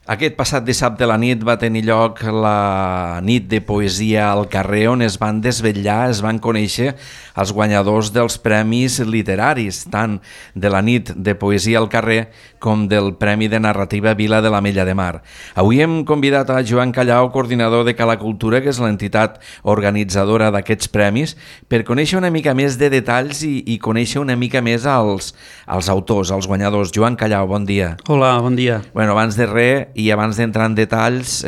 Aquest passat dissabte a la nit va tenir lloc la nit de poesia al carrer, on es van desvetllar, es van conèixer els guanyadors dels premis literaris, tant de la nit de poesia al carrer com del Premi de Narrativa Vila de l'Ametlla de Mar. Avui hem convidat a Joan Callau, coordinador de Cala Cultura, que és l'entitat organitzadora d'aquests premis, per conèixer una mica més de detalls i conèixer una mica més els autors, els guanyadors. Joan Callau, bon dia. Hola, bon dia. Bueno, abans de res, i abans d'entrar en detalls,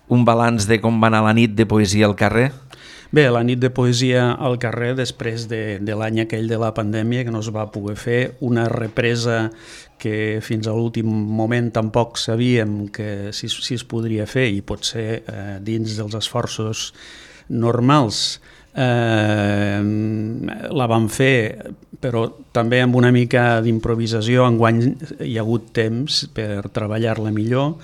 un balanç de com va anar la nit de poesia al carrer? Bé, la nit de poesia al carrer, després de l'any aquell de la pandèmia, que no es va poder fer, una represa que fins a l'últim moment tampoc sabíem que si es podria fer, i potser dins dels esforços normals la vam fer, però també amb una mica d'improvisació. Enguany hi ha hagut temps per treballar-la millor,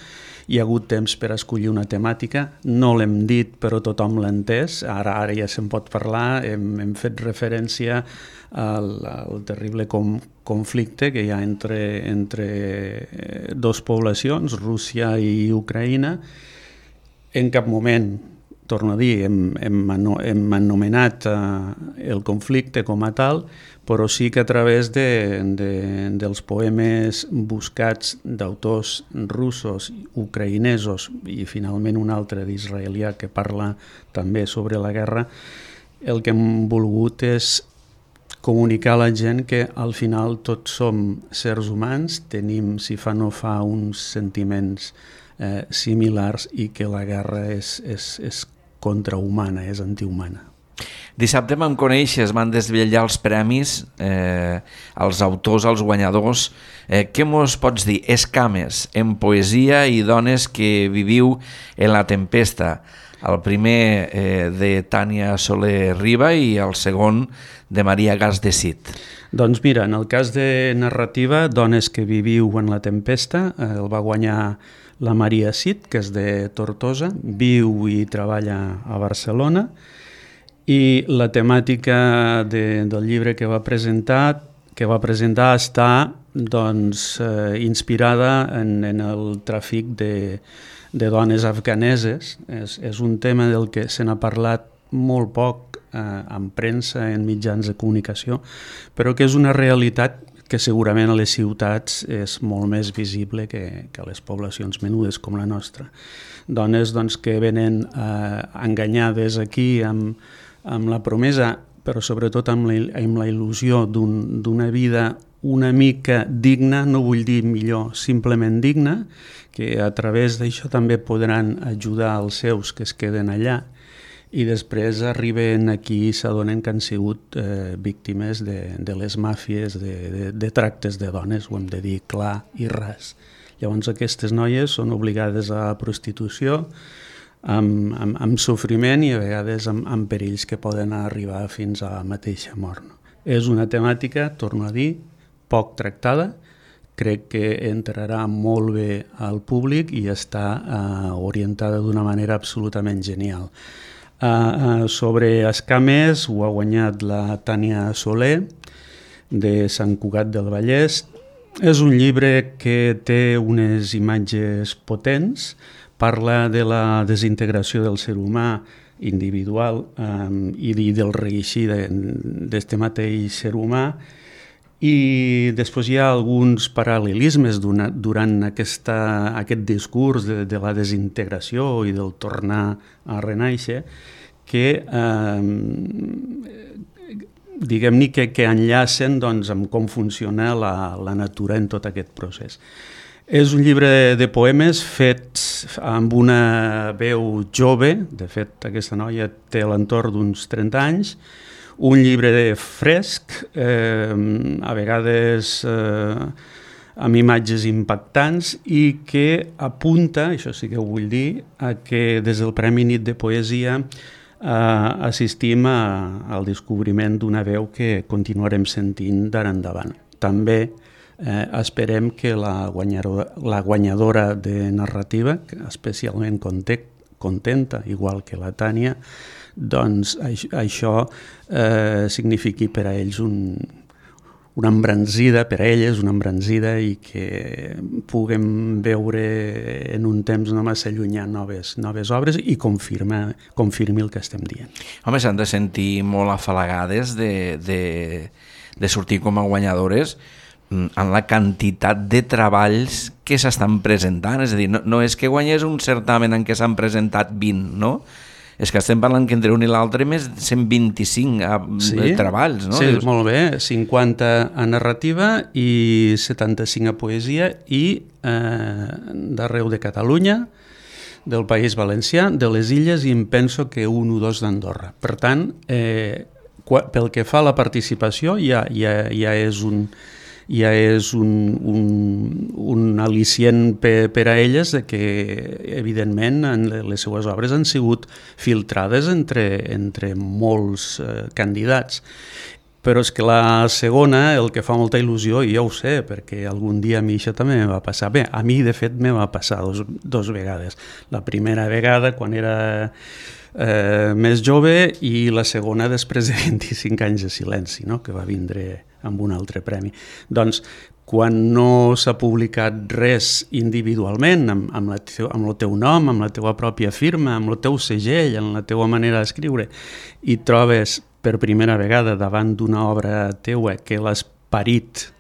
hi ha hagut temps per escollir una temàtica, no l'hem dit però tothom l'ha entès, ara ja se'n pot parlar, hem fet referència al terrible conflicte que hi ha entre dues poblacions, Rússia i Ucraïna. En cap moment, torno a dir, hem anomenat el conflicte com a tal, però sí que a través dels poemes buscats d'autors russos, ucraïnesos i finalment un altre d'israelià que parla també sobre la guerra, el que hem volgut és comunicar a la gent que al final tots som sers humans, tenim, si fa no fa, uns sentiments similars i que la guerra és contrahumana, és antihumana. Dissabte vam conèixer, es van desvetllar els premis, els autors, els guanyadors. Què mos pots dir? Escames en poesia i dones que viviu en la tempesta. El primer de Tània Soler Riba i el segon de Maria Gas de Cid. Doncs mira, en el cas de narrativa, Dones que viviu en la tempesta, el va guanyar la Maria Cid, que és de Tortosa, viu i treballa a Barcelona, i la temàtica del llibre que va presentar està inspirada en el tràfic de dones afganeses. És un tema del que se n'ha parlat molt poc en premsa, en mitjans de comunicació, però que és una realitat que segurament a les ciutats és molt més visible que a les poblacions menudes com la nostra. Dones que venen enganyades aquí amb la promesa, però sobretot amb la il·lusió d'una vida una mica digna, no vull dir millor, simplement digna, que a través d'això també podran ajudar els seus que es queden allà, i després arriben aquí i s'adonen que han sigut víctimes de les màfies, de tractes de dones, ho hem de dir clar i ras. Llavors aquestes noies són obligades a prostitució, amb sofriment i a vegades amb perills que poden arribar fins a la mateixa mort. És una temàtica, torno a dir, poc tractada, crec que entrarà molt bé al públic i està orientada d'una manera absolutament genial. Sobre escames ho ha guanyat la Tània Soler de Sant Cugat del Vallès. És un llibre que té unes imatges potents, parla de la desintegració del ser humà individual i del reeixir d'este mateix ser humà, i després hi ha alguns paral·lelismes durant aquest discurs de la desintegració i del tornar a renaixer que diguem-ne que enllacen amb com funciona la natura en tot aquest procés. És un llibre de poemes fets amb una veu jove, de fet aquesta noia té a l'entorn d'uns 30 anys, un llibre fresc, a vegades amb imatges impactants i que apunta, això sí que ho vull dir, a que des del Premi Nit de Poesia assistim al descobriment d'una veu que continuarem sentint d'ara endavant. També esperem que la guanyadora de narrativa, especialment contenta, igual que la Tània, doncs això signifiqui per a ells una embranzida per a elles, una embranzida i que puguem veure en un temps no massa llunyà noves obres i confirmi el que estem dient. Home, s'han de sentir molt afalagades de sortir com a guanyadores en la quantitat de treballs que s'estan presentant. És a dir, no és que guanyés un certamen en què s'han presentat 20, no? És que estem parlant que entre un i l'altre més de 125 treballs, no? Sí, molt bé, 50 a narrativa i 75 a poesia i d'arreu de Catalunya, del País Valencià, de les Illes i em penso que un o dos d'Andorra. Per tant, pel que fa a la participació ja és un al·licient per a elles de que, evidentment, les seues obres han sigut filtrades entre molts candidats. Però és que la segona, el que fa molta il·lusió, i jo ho sé, perquè algun dia a mi això també me va passar. Bé, a mi, de fet, me va passar dos vegades. La primera vegada, quan era més jove, i la segona després de 25 anys de silenci, no? Que va vindre amb un altre premi. Doncs, quan no s'ha publicat res individualment, amb el teu nom, amb la teva pròpia firma, amb el teu segell, amb la teva manera d'escriure, i trobes per primera vegada davant d'una obra teua que l'has parit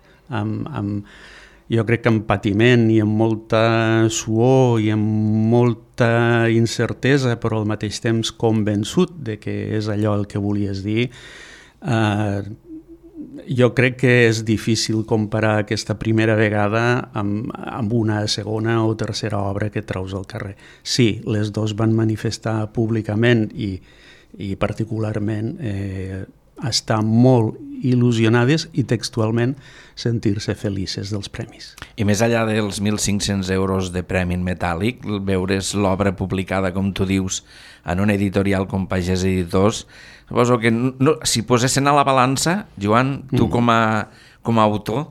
jo crec que amb patiment i amb molta suor i amb molta incertesa, però al mateix temps convençut de que és allò el que volies dir, jo crec que és difícil comparar aquesta primera vegada amb una segona o tercera obra que treus al carrer. Sí, les dues van manifestar públicament i particularment estar molt il·lusionades i textualment sentir-se felices dels premis. I més enllà dels 1.500 euros de premi en metàl·lic, veure's l'obra publicada, com tu dius, en una editorial com Pagès Editors, suposo que si posessin a la balança, Joan, tu com a autor...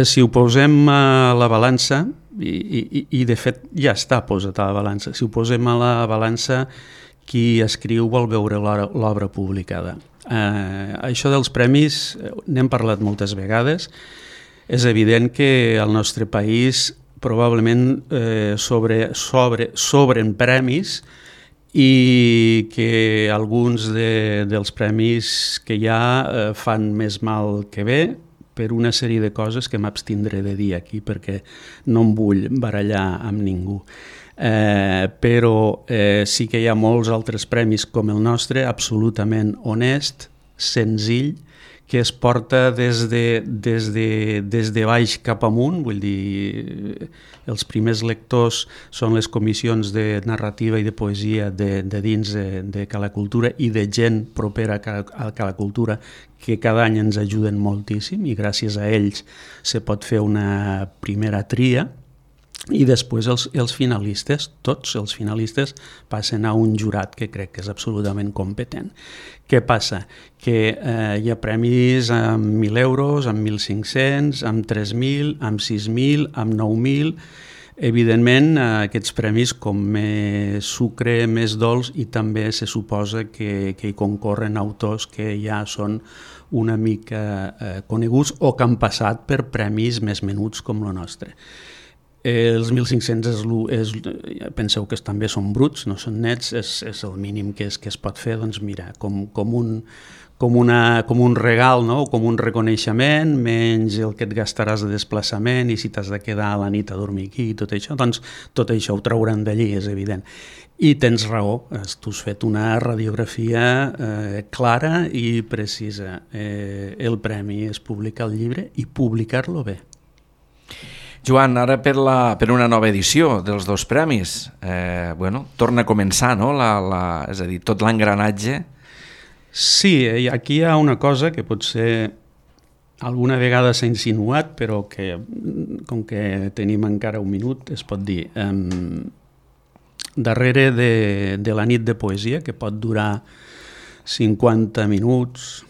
Si ho posem a la balança, i de fet ja està posat a la balança, si ho posem a la balança, qui escriu vol veure l'obra publicada. Això dels premis n'hem parlat moltes vegades. És evident que al nostre país probablement sobren premis i que alguns dels premis que hi ha fan més mal que bé per una sèrie de coses que m'abstindré de dir aquí perquè no em vull barallar amb ningú. Però sí que hi ha molts altres premis com el nostre, absolutament honest, senzill, que es porta des de baix cap amunt, vull dir, els primers lectors són les comissions de narrativa i de poesia de dins de Cala Cultura i de gent propera a Cala Cultura que cada any ens ajuden moltíssim i gràcies a ells se pot fer una primera tria. I després els finalistes, tots els finalistes, passen a un jurat que crec que és absolutament competent. Què passa? Que hi ha premis amb 1.000 euros, amb 1.500, amb 3.000, amb 6.000, amb 9.000... Evidentment, aquests premis, com més sucre, més dolç, i també se suposa que hi concorren autors que ja són una mica coneguts o que han passat per premis més menuts com el nostre. Els 1.500 penseu que també són bruts, no són nets, és el mínim que es pot fer, doncs mira, com un regal, no? Com un reconeixement, menys el que et gastaràs de desplaçament i si t'has de quedar a la nit a dormir aquí i tot això, doncs tot això ho trauran d'allí, és evident. I tens raó, tu has fet una radiografia clara i precisa. El premi és publicar el llibre i publicar-lo bé. Joan, ara per una nova edició dels dos premis, torna a començar, no? És a dir, tot l'engranatge. Sí, aquí hi ha una cosa que potser alguna vegada s'ha insinuat, però que, com que tenim encara un minut, es pot dir. Darrere de la nit de poesia, que pot durar 50 minuts,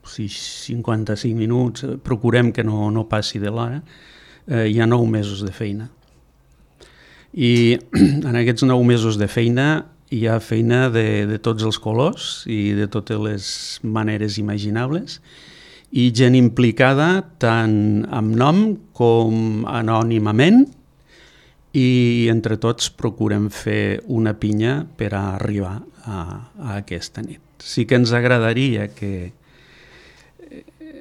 55 minuts, procurem que no passi de l'hora, hi ha 9 mesos de feina. I en aquests 9 mesos de feina hi ha feina de tots els colors i de totes les maneres imaginables i gent implicada tant amb nom com anònimament, i entre tots procurem fer una pinya per a arribar a aquesta nit. Sí que ens agradaria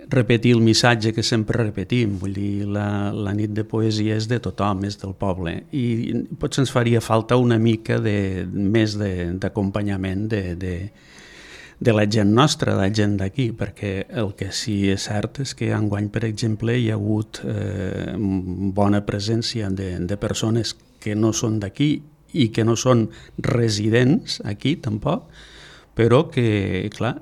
repetir el missatge que sempre repetim, vull dir, la nit de poesia és de tothom, és del poble, i potser ens faria falta una mica més d'acompanyament de la gent nostra, de la gent d'aquí, perquè el que sí és cert és que enguany, per exemple, hi ha hagut bona presència de persones que no són d'aquí i que no són residents aquí tampoc, però que, clar,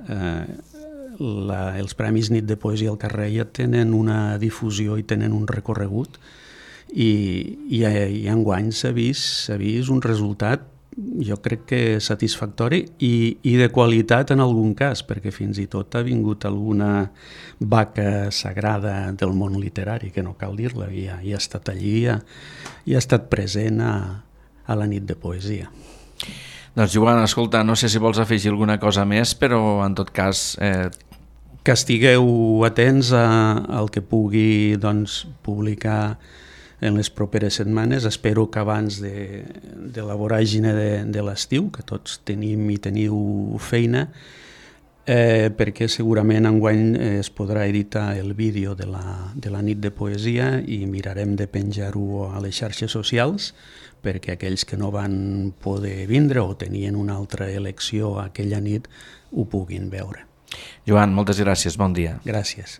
els Premis Nit de Poesia al Carrer ja tenen una difusió i tenen un recorregut, i enguany s'ha vist un resultat, jo crec que satisfactori i de qualitat en algun cas, perquè fins i tot ha vingut alguna vaca sagrada del món literari, que no cal dir-la, i ha estat allí, i ha estat present a la nit de poesia. Doncs Joan, escolta, no sé si vols afegir alguna cosa més, però en tot cas... Que estigueu atents al que pugui publicar en les properes setmanes. Espero que abans de la voràgine de l'estiu, que tots tenim i teniu feina, perquè segurament enguany es podrà editar el vídeo de la nit de poesia i mirarem de penjar-ho a les xarxes socials perquè aquells que no van poder vindre o tenien una altra elecció aquella nit ho puguin veure. Joan, moltes gràcies, bon dia. Gràcies.